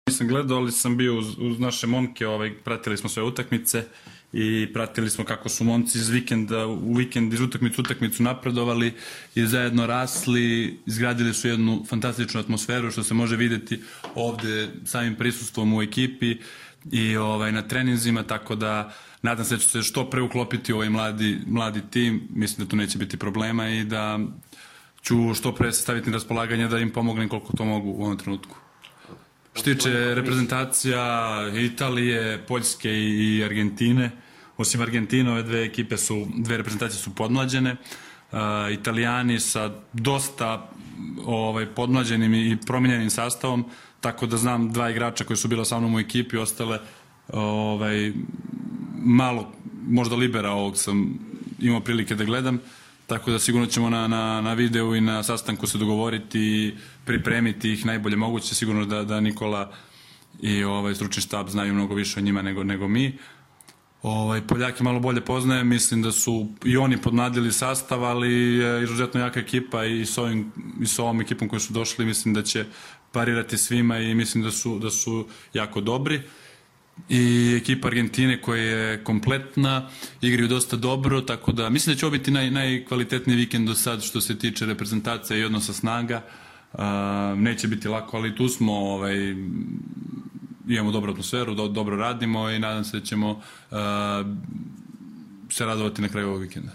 Nisam gledao, ali sam bio uz naše momke, pratili smo sve utakmice i pratili smo kako su momci iz vikenda u vikend, iz utakmicu u utakmicu napredovali i zajedno rasli, izgradili su jednu fantastičnu atmosferu što se može vidjeti ovde samim prisustvom u ekipi i na treninzima, tako da nadam se da će se što pre uklopiti u ovaj mladi tim, mislim da tu neće biti problema i da ću što pre se staviti na raspolaganje da im pomognem koliko to mogu u ovom trenutku. Što tiče reprezentacija Italije, Poljske i Argentine, osim Argentine, ove dve reprezentacije su podmlađene. Italijani sa dosta podmlađenim i promijenjenim sastavom, tako da znam dva igrača koji su bila sa mnom u ekipi, ostale malo, možda libera ovog sam imao prilike da gledam, tako da sigurno ćemo na videu i na sastanku se dogovoriti i pripremiti ih najbolje moguće. Sigurno da Nikola i stručni štab znaju mnogo više o njima nego mi. Poljake malo bolje poznajem, mislim da su i oni podmladili sastav, ali je izuzetno jaka ekipa i s ovom ekipom koji su došli mislim da će parirati svima i mislim da su jako dobri. I ekipa Argentine koja je kompletna, igraju dosta dobro, tako da mislim da će ovo biti najkvalitetniji vikend do sad što se tiče reprezentacije i odnosa snaga. Neće biti lako, ali tu smo, imamo dobru atmosferu, dobro radimo i nadam se da ćemo se radovati na kraju ovog vikenda.